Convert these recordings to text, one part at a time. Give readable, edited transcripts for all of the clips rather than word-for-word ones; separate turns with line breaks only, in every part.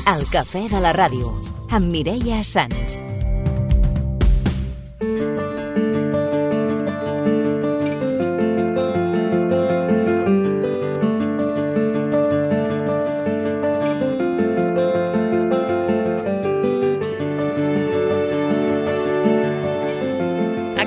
El cafè de la ràdio, amb Mireia Sans.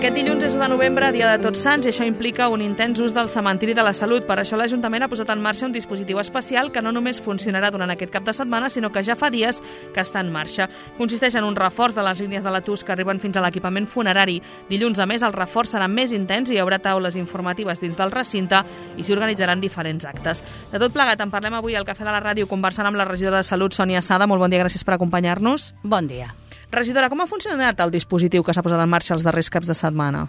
Aquest dilluns és 1 de novembre, dia de Tots Sants, i això implica un intens ús del cementiri de la salut. Per això l'Ajuntament ha posat en marxa un dispositiu especial que no només funcionarà durant aquest cap de setmana, sinó que ja fa dies que està en marxa. Consisteix en un reforç de les línies de la TUS que arriben fins a l'equipament funerari. Dilluns, a més, el reforç serà més intens i hi haurà taules informatives dins del recinte i s'hi organitzaran diferents actes. De tot plegat, en parlem avui al Cafè de la Ràdio conversant amb la regidora de Salut, Sònia Sada. Molt bon dia, gràcies per acompanyar-nos.
Bon dia.
Regidora, com ha funcionat el dispositiu que s'ha posat en marxa els darrers caps de setmana?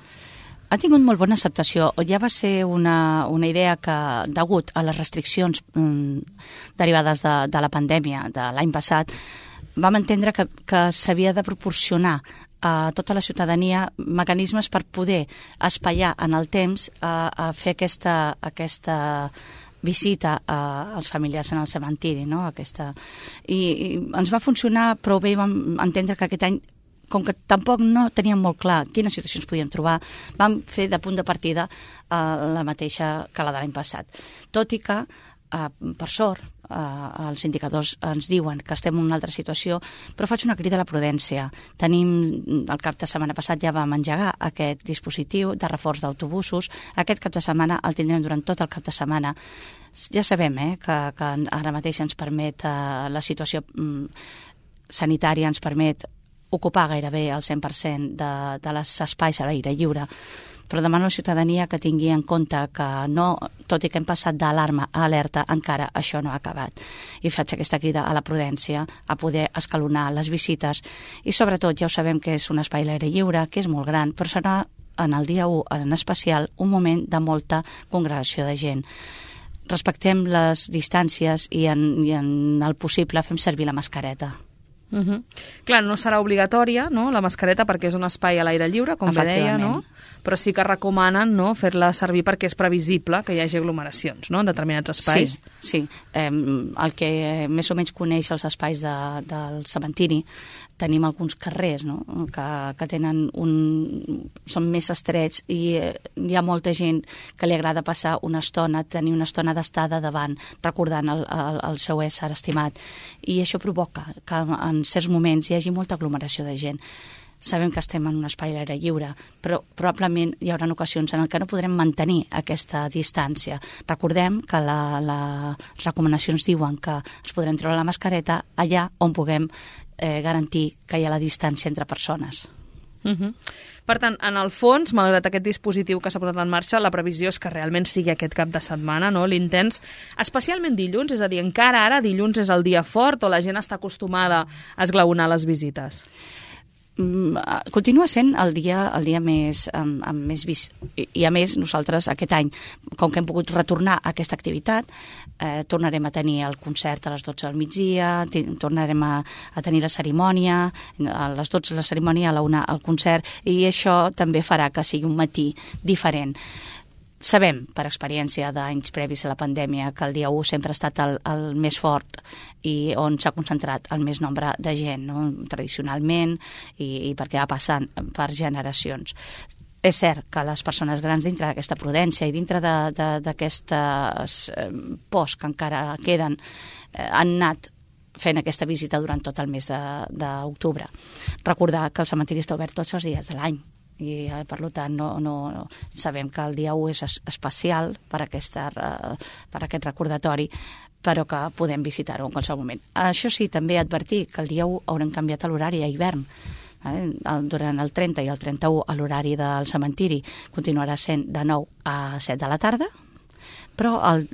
Ha tingut molt bona acceptació. Ja va ser una idea que, degut a les restriccions derivades de la pandèmia de l'any passat, vam entendre que s'havia de proporcionar a tota la ciutadania mecanismes per poder espaiar en el temps a fer aquesta visita als familiars en el cementiri, no? I ens va funcionar prou bé, vam entendre que aquest any, com que tampoc no teníem molt clar quines situacions podíem trobar, vam fer de punt de partida la mateixa que la de l'any passat. Tot i que, per sort, els indicadors ens diuen que estem en una altra situació, però faig una crida a la prudència. El cap de setmana passat ja vam engegar aquest dispositiu de reforç d'autobusos. Aquest cap de setmana el tindrem durant tot el cap de setmana. Ja sabem que ara mateix ens permet la situació sanitària, ens permet ocupar gairebé el 100% de les espais a l'aire lliure, però demano a la ciutadania que tingui en compte que no, tot i que hem passat d'alarma a alerta, encara això no ha acabat. I faig aquesta crida a la prudència, a poder escalonar les visites i sobretot ja ho sabem que és un espai a l'aire lliure, que és molt gran, però serà en el dia 1 en especial un moment de molta congregació de gent. Respectem les distàncies i en el possible fem servir la mascareta.
Clar, no serà obligatòria, no?, la mascareta, perquè és un espai a l'aire lliure, com bé deia, no? Però sí que recomanen, no?, fer-la servir perquè és previsible que hi hagi aglomeracions, no?, en determinats espais.
Sí. El que més o menys coneix els espais del cementiri, tenim alguns carrers, no?, que són més estrets i hi ha molta gent que li agrada passar una estona, tenir una estona d'estada davant, recordant el seu ésser estimat. I això provoca que en certs moments hi hagi molta aglomeració de gent. Sabem que estem en un espai a l'aire lliure, però probablement hi haurà ocasions en què no podrem mantenir aquesta distància. Recordem que les recomanacions diuen que ens podrem treure la mascareta allà on puguem garantir que hi ha la distància entre persones.
Per tant, en el fons, malgrat aquest dispositiu que s'ha posat en marxa, la previsió és que realment sigui aquest cap de setmana, no?, l'intens, especialment dilluns, és a dir, encara ara dilluns és el dia fort o la gent està acostumada a esglaonar les visites?
Continua sent el dia més vist, i a més nosaltres aquest any, com que hem pogut retornar a aquesta activitat, tornarem a tenir el concert a les 12 del migdia, tornarem a tenir la cerimònia, a les 12 la cerimònia, a la 1 el concert, i això també farà que sigui un matí diferent. Sabem, per experiència d'anys previs a la pandèmia, que el dia 1 sempre ha estat el més fort i on s'ha concentrat el més nombre de gent, no?, tradicionalment, i perquè va passant per generacions. És cert que les persones grans, dintre d'aquesta prudència i dintre d'aquestes pors que encara queden, han anat fent aquesta visita durant tot el mes d'octubre. Recordar que el cementiri està obert tots els dies de l'any, i per tant no sabem que el dia 1 és especial per aquest recordatori, però que podem visitar-ho en qualsevol moment. Això sí, també advertir que el dia 1 haurem canviat l'horari a hivern. Durant el 30 i el 31 l'horari del cementiri continuarà sent de 9 a 7 de la tarda, però el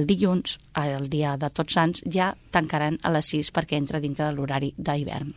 dilluns, el dia de Tots Sants, ja tancaran a les 6 perquè entra dintre de l'horari d'hivern.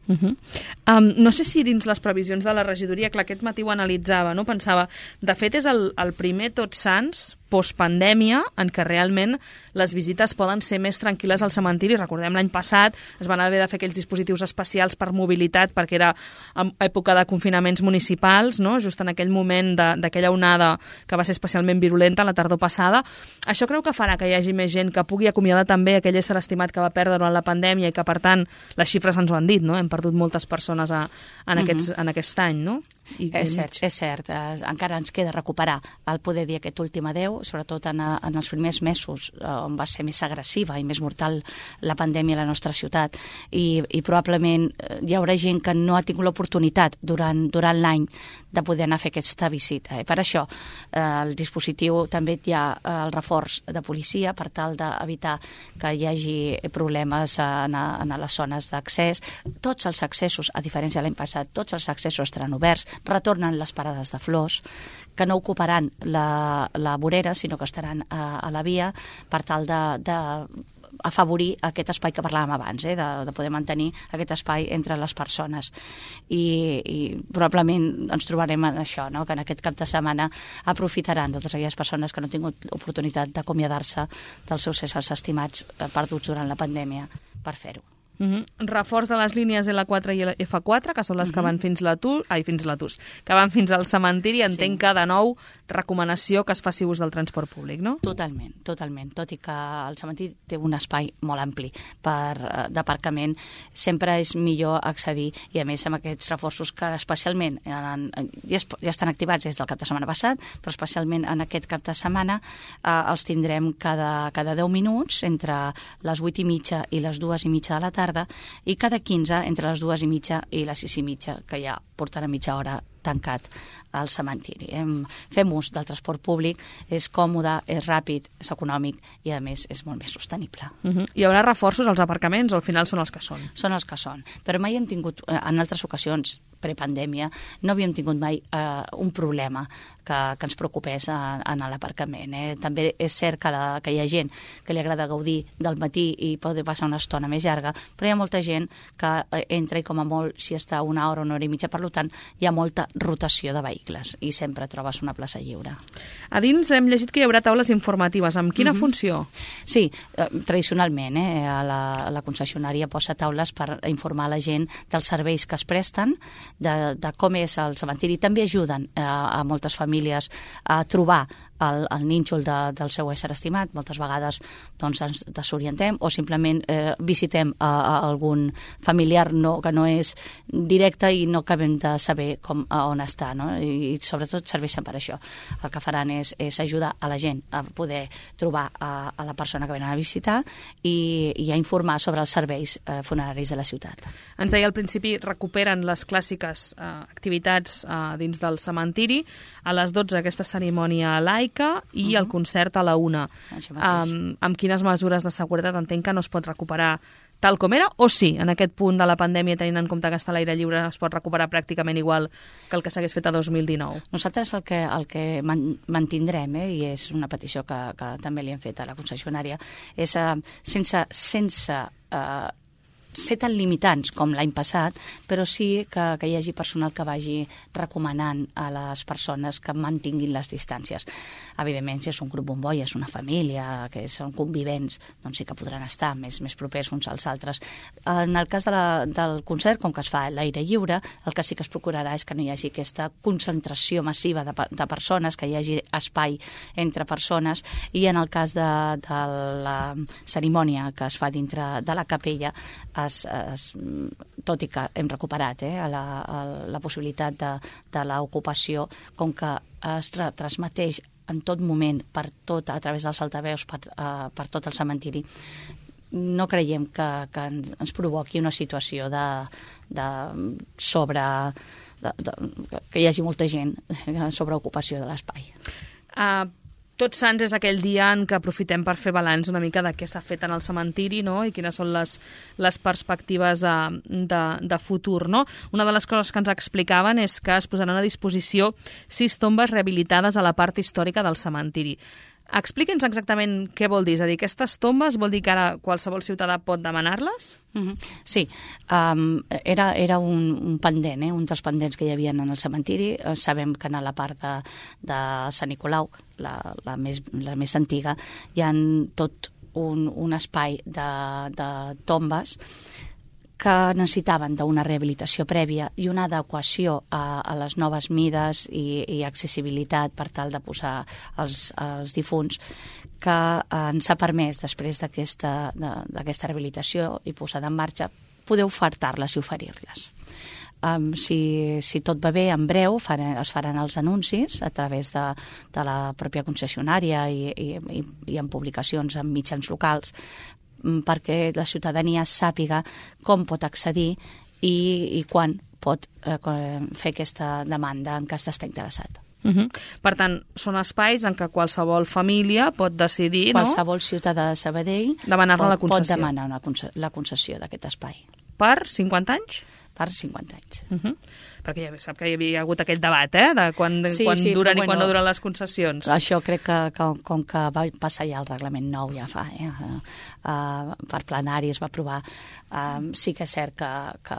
No sé si dins les previsions de la regidoria, clar, aquest matí ho analitzava, no? Pensava, de fet és el primer Tots Sants postpandèmia, en què realment les visites poden ser més tranquil·les al cementiri. Recordem, l'any passat es van haver de fer aquells dispositius especials per mobilitat, perquè era en època de confinaments municipals, no? Just en aquell moment d'aquella onada que va ser especialment virulenta la tardor passada. Això creu que farà que hi hagi més gent que pugui acomiadar també aquell ésser estimat que va perdre durant la pandèmia i que, per tant, les xifres ens ho han dit, no? Hem perdut moltes persones en aquest any, no?
És cert. Encara ens queda recuperar el poder dir aquest últim adeu, sobretot en els primers mesos on va ser més agressiva i més mortal la pandèmia a la nostra ciutat, i probablement hi haurà gent que no ha tingut l'oportunitat durant l'any de poder anar a fer aquesta visita. Per això el dispositiu també hi ha el reforç de policia per tal d'evitar que hi hagi problemes en les zones d'accés. Tots els accessos, a diferència de l'any passat, tots els accessos estaran oberts, retornen les parades de flors, que no ocuparan la vorera, sinó que estaran a la via per tal d'afavorir aquest espai que parlàvem abans, de poder mantenir aquest espai entre les persones. I probablement ens trobarem en això, no? Que en aquest cap de setmana aprofitaran totes aquelles persones que no han tingut oportunitat d'acomiadar-se dels seus éssers estimats perduts durant la pandèmia per fer-ho.
Reforç de les línies L4 i F4, que són les que van fins que van fins al cementiri. Entenc que, de nou, recomanació que es faci ús del transport públic, no?
Totalment. Tot i que el cementiri té un espai molt ampli d'aparcament, sempre és millor accedir, i a més amb aquests reforços que especialment ja estan activats des del cap de setmana passat, però especialment en aquest cap de setmana els tindrem cada 10 minuts entre les 8:30 i les 2:30 de la tarda, i cada 15 entre les 2:30 i les 6:30, que ja portarà mitja hora tancat al cementiri. Fem ús del transport públic, és còmode, és ràpid, és econòmic i, a més, és molt més sostenible.
Hi haurà reforços als aparcaments o al final són els que són?
Són els que són, però mai hem tingut, en altres ocasions, prepandèmia, no havíem tingut mai un problema que ens preocupés en l'aparcament. També és cert que hi ha gent que li agrada gaudir del matí i poder passar una estona més llarga, però hi ha molta gent que entra i com a molt si està una hora i mitja, per tant hi ha molta rotació de vehicles i sempre trobes una plaça lliure.
A dins hem llegit que hi haurà taules informatives. Amb quina funció?
Sí, tradicionalment la concessionària posa taules per informar la gent dels serveis que es presten, de com és el cementiri. També ajuden a moltes famílies a trobar el nínxol del seu ésser estimat. Moltes vegades ens desorientem o simplement visitem algun familiar que no és directe i no acabem de saber on està, no? I sobretot serveixen per això. El que faran és ajudar a la gent a poder trobar a la persona que venen a visitar i a informar sobre els serveis funeraris de la ciutat.
Ens deia al principi, recuperen les clàssiques activitats dins del cementiri. A les 12 aquesta cerimònia laica i el concert a la 1. Amb quines mesures de seguretat? Entenc que no es pot recuperar tal com era, o sí, en aquest punt de la pandèmia, tenint en compte que està a l'aire lliure, es pot recuperar pràcticament igual que el que s'hagués fet a 2019?
Nosaltres el que mantindrem, i és una petició que també li hem fet a la concessionària, és sense ser tan limitants com l'any passat, però sí que hi hagi personal que vagi recomanant a les persones que mantinguin les distàncies. Evidentment, si és un grup bombolla, és una família, que són convivents, doncs sí que podran estar més propers uns als altres. En el cas del concert, com que es fa a l'aire lliure, el que sí que es procurarà és que no hi hagi aquesta concentració massiva de persones, que hi hagi espai entre persones, i en el cas de la cerimònia que es fa dintre de la capella, tot i que hem recuperat la possibilitat de l'ocupació, com que es retransmeteix en tot moment, a través dels altaveus, per tot el cementiri, no creiem que ens provoqui una situació que hi hagi molta gent sobre ocupació de l'espai.
Tots Sants és aquell dia en què aprofitem per fer balanç una mica de què s'ha fet en el cementiri, no? I quines són les perspectives de futur, no? Una de les coses que ens explicaven és que es posaran a disposició 6 tombes rehabilitades a la part històrica del cementiri. Expliqui'ns exactament què vol dir. És a dir, aquestes tombes vol dir que ara qualsevol ciutadà pot demanar-les?
Sí, era un pendent, un dels pendents que hi havia en el cementiri. Sabem que a la part de Sant Nicolau, la més antiga, hi ha tot un espai de tombes que necessitaven d'una rehabilitació prèvia i una adequació a les noves mides i accessibilitat per tal de posar els difunts, que ens ha permès, després d'aquesta rehabilitació i posada en marxa, poder ofertar-les i oferir-les. Si tot va bé, en breu es faran els anuncis a través de la pròpia concessionària i en publicacions en mitjans locals, perquè la ciutadania sàpiga com pot accedir i quan pot fer aquesta demanda en cas d'estar interessat.
Per tant, són espais en què qualsevol família pot decidir,
qualsevol ciutadà de Sabadell
demanar-ne la concessió.
Pot demanar la concessió d'aquest espai.
Per 50 anys?
Per 50 anys.
Perquè ja sap que hi havia hagut aquell debat, de quan duren i quan no duren les concessions.
Això crec que com que va passar ja el reglament nou ja fa, per plenari es va aprovar, sí que és cert que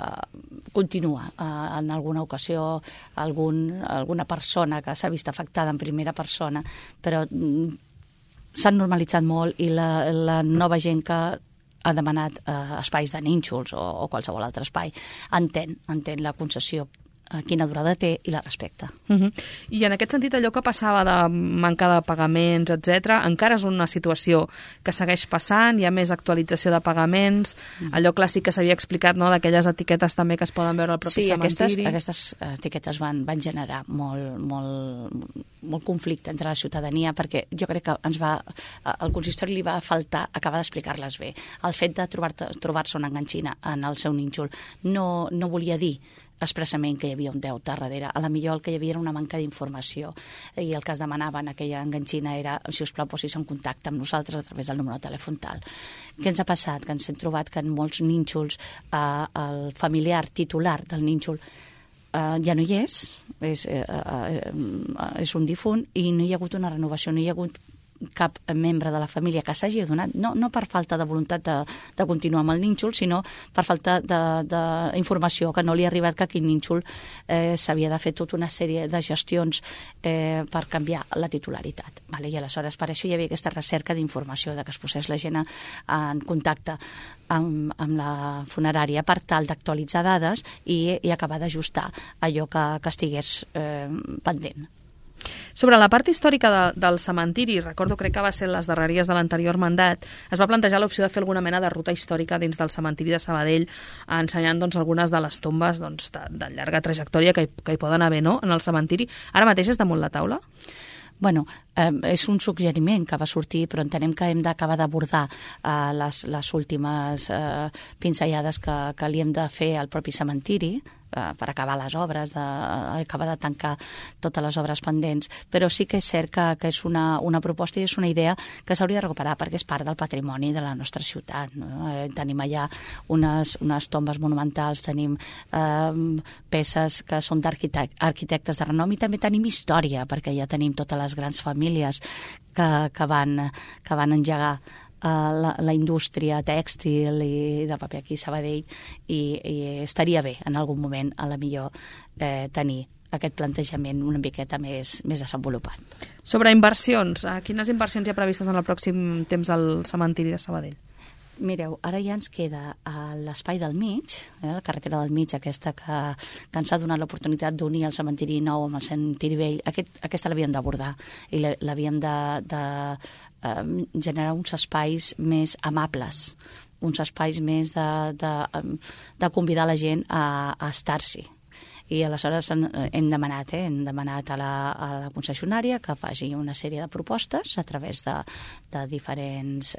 continua. En alguna ocasió alguna persona que s'ha vist afectada en primera persona, però s'han normalitzat molt i la nova gent que ha demanat espais de nínxols o qualsevol altre espai entén la concessió, quina durada té i la respecta.
I en aquest sentit, allò que passava de manca de pagaments, etc., encara és una situació que segueix passant, hi ha més actualització de pagaments, allò clàssic que s'havia explicat, d'aquelles etiquetes també que es poden veure al propi cementiri.
Sí, aquestes etiquetes van generar molt conflicte entre la ciutadania, perquè jo crec que al consistori li va faltar acabar d'explicar-les bé. El fet de trobar-se una enganxina en el seu nínxol no volia dir expressament que hi havia un deute darrere. A la millor el que hi havia era una manca d'informació i el que es demanava en aquella enganxina era, si us plau, posis en contacte amb nosaltres a través del número de telèfon tal. Què ens ha passat? Que ens hem trobat que en molts nínxols el familiar titular del nínxol ja no hi és un difunt i no hi ha hagut una renovació, no hi ha hagut cap membre de la família que s'hagi adonat, no per falta de voluntat de continuar amb el nínxol, sinó per falta d'informació, que no li ha arribat que aquell nínxol s'havia de fer tota una sèrie de gestions per canviar la titularitat. I aleshores per això hi havia aquesta recerca d'informació, que es posés la gent en contacte amb la funerària per tal d'actualitzar dades i acabar d'ajustar allò que estigués pendent.
Sobre la part històrica del cementiri, recordo, crec que va ser les darreries de l'anterior mandat, es va plantejar l'opció de fer alguna mena de ruta històrica dins del cementiri de Sabadell, ensenyant algunes de les tombes de llarga trajectòria que hi poden haver en el cementiri. Ara mateix és damunt la taula?
Bueno, és un suggeriment que va sortir, però entenem que hem d'acabar d'abordar les últimes pinzellades que li hem de fer al propi cementiri, per acabar les obres, acabar de tancar totes les obres pendents, però sí que és cert que és una proposta i és una idea que s'hauria de recuperar perquè és part del patrimoni de la nostra ciutat. Tenim allà unes tombes monumentals, tenim peces que són d'arquitectes de renom i també tenim història, perquè ja tenim totes les grans famílies que van engegar la indústria tèxtil i de paper aquí a Sabadell i estaria bé en algun moment a la millor tenir aquest plantejament una miqueta més desenvolupat.
Sobre inversions, quines inversions hi ha previstes en el pròxim temps al cementiri de Sabadell?
Mireu, ara ja ens queda l'espai del mig, la carretera del mig, aquesta que ens ha donat l'oportunitat d'unir el cementiri nou amb el cementiri vell. Aquesta l'havíem d'abordar i l'havíem de generar uns espais més amables, uns espais més de convidar la gent a estar-s'hi. I aleshores hem demanat a la concessionària que faci una sèrie de propostes a través de diferents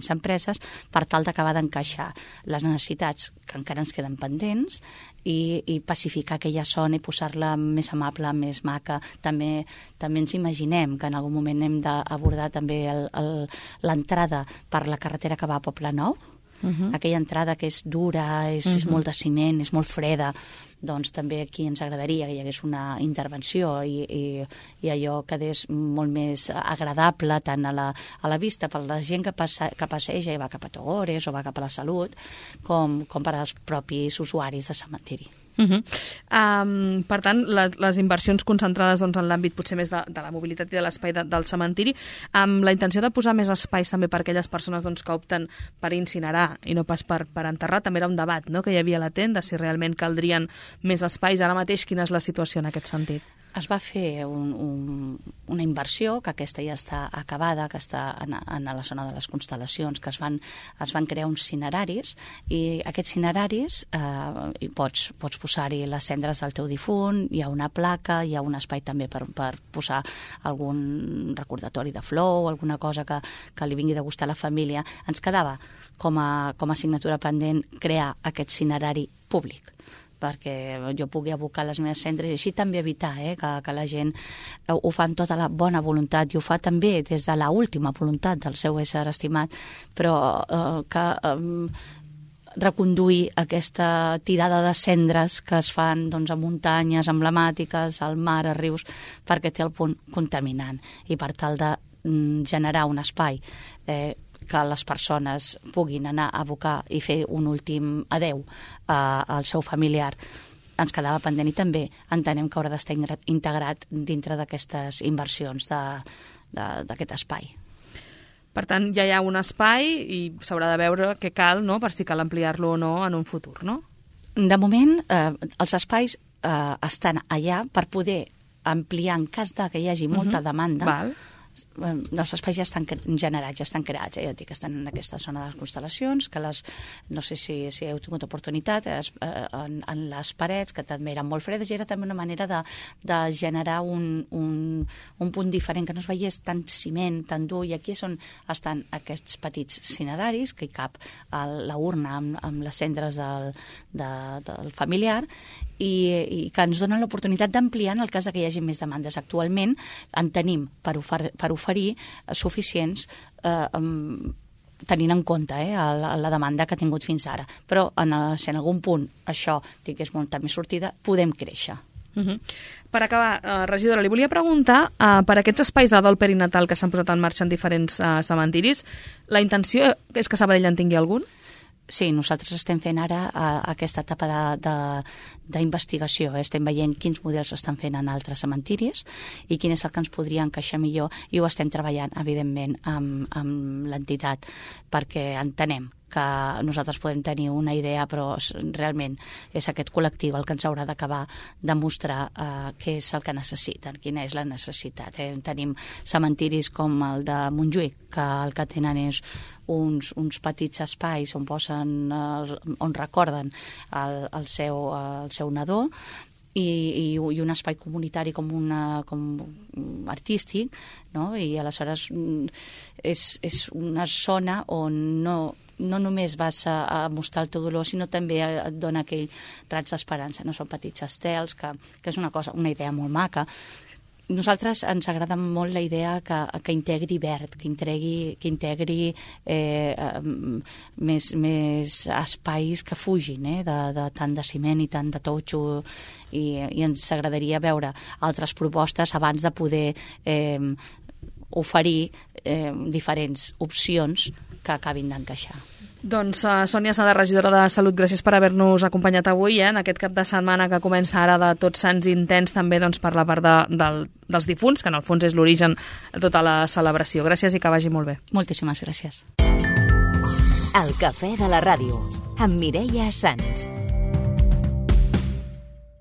empreses per tal d'acabar d'encaixar les necessitats que encara ens queden pendents i pacificar aquella zona i posar-la més amable, més maca. També ens imaginem que en algun moment hem d'abordar també l'entrada per la carretera que va a Poblenou, Aquella entrada que és dura, és molt de ciment, és molt freda, doncs també aquí ens agradaria que hi hagués una intervenció i allò quedés molt més agradable tant a la vista per la gent que passeja i va cap a Togores o va cap a la Salut, com per als propis usuaris de cementiri.
Per tant, les inversions concentrades en l'àmbit potser més de la mobilitat i de l'espai del cementiri, amb la intenció de posar més espais també per aquelles persones que opten per incinerar i no pas per enterrar. També era un debat que hi havia latent de si realment caldrien més espais. Ara mateix, quina és la situació en aquest sentit?
Es va fer una inversió, que aquesta ja està acabada, que està a la zona de les constel·lacions, que es van crear uns cineraris, i aquests cineraris pots posar-hi les cendres del teu difunt, hi ha una placa, hi ha un espai també per posar algun recordatori de flor o alguna cosa que li vingui de gust a la família. Ens quedava com a assignatura pendent crear aquest cinerari públic, perquè jo pugui abocar les meves cendres i així també evitar que la gent ho fa amb tota la bona voluntat i ho fa també des de la última voluntat del seu ésser estimat, però que reconduir aquesta tirada de cendres que es fan a muntanyes emblemàtiques, al mar, a rius, perquè té el punt contaminant, i per tal de generar un espai que les persones puguin anar a abocar i fer un últim adeu al seu familiar, ens quedava pendent, i també entenem que haurà d'estar integrat dintre d'aquestes inversions d'aquest espai.
Per tant, ja hi ha un espai i s'haurà de veure què cal, per si cal ampliar-lo o no en un futur, no?
De moment, els espais estan allà per poder ampliar en cas que hi hagi molta demanda.
Val.
Els espais ja estan generats, ja estan creats, ja et dic, estan en aquesta zona de les constel·lacions, que no sé si heu tingut oportunitat, en les parets, que també eren molt fredes, i era també una manera de generar un punt diferent, que no es veiés tant ciment, tan dur, i aquí és on estan aquests petits cineraris, que hi cap la urna amb les cendres del familiar, i que ens donen l'oportunitat d'ampliar en el cas que hi hagi més demandes. Actualment en tenim per oferir suficients tenint en compte la demanda que ha tingut fins ara. Però si en algun punt això tingués molta més sortida, podem créixer.
Per acabar, regidora, li volia preguntar per aquests espais de dol perinatal que s'han posat en marxa en diferents cementiris, la intenció és que Sabadell en tingui algun?
Sí, nosaltres estem fent ara aquesta etapa d'investigació. Estem veient quins models estan fent en altres cementiris i quin és el que ens podria encaixar millor, i ho estem treballant, evidentment, amb l'entitat, perquè entenem que nosaltres podem tenir una idea, però realment és aquest col·lectiu el que ens haurà d'acabar de mostrar què és el que necessiten, quina és la necessitat. Tenim cementiris com el de Montjuïc, que el que tenen és uns petits espais on recorden el seu nadó, i un espai comunitari com artístic, no? I aleshores és una zona on no només vas a mostrar el teu dolor, sinó també et dona aquell raig d'esperança. No són petits estels, que és una idea molt maca. Nosaltres ens agrada molt la idea que integri verd, que integri més espais que fugin de tant de ciment i tant de totxo, i ens agradaria veure altres propostes abans de poder oferir diferents opcions que acabin d'encaixar.
Doncs Sònia Sada, regidora de Salut, gràcies per haver-nos acompanyat avui en aquest cap de setmana que comença ara de Tots Sants intens, també per la part dels difunts, que en el fons és l'origen de tota la celebració. Gràcies i que vagi molt bé.
Moltíssimes gràcies.
El cafè de la ràdio, amb Mireia Sans.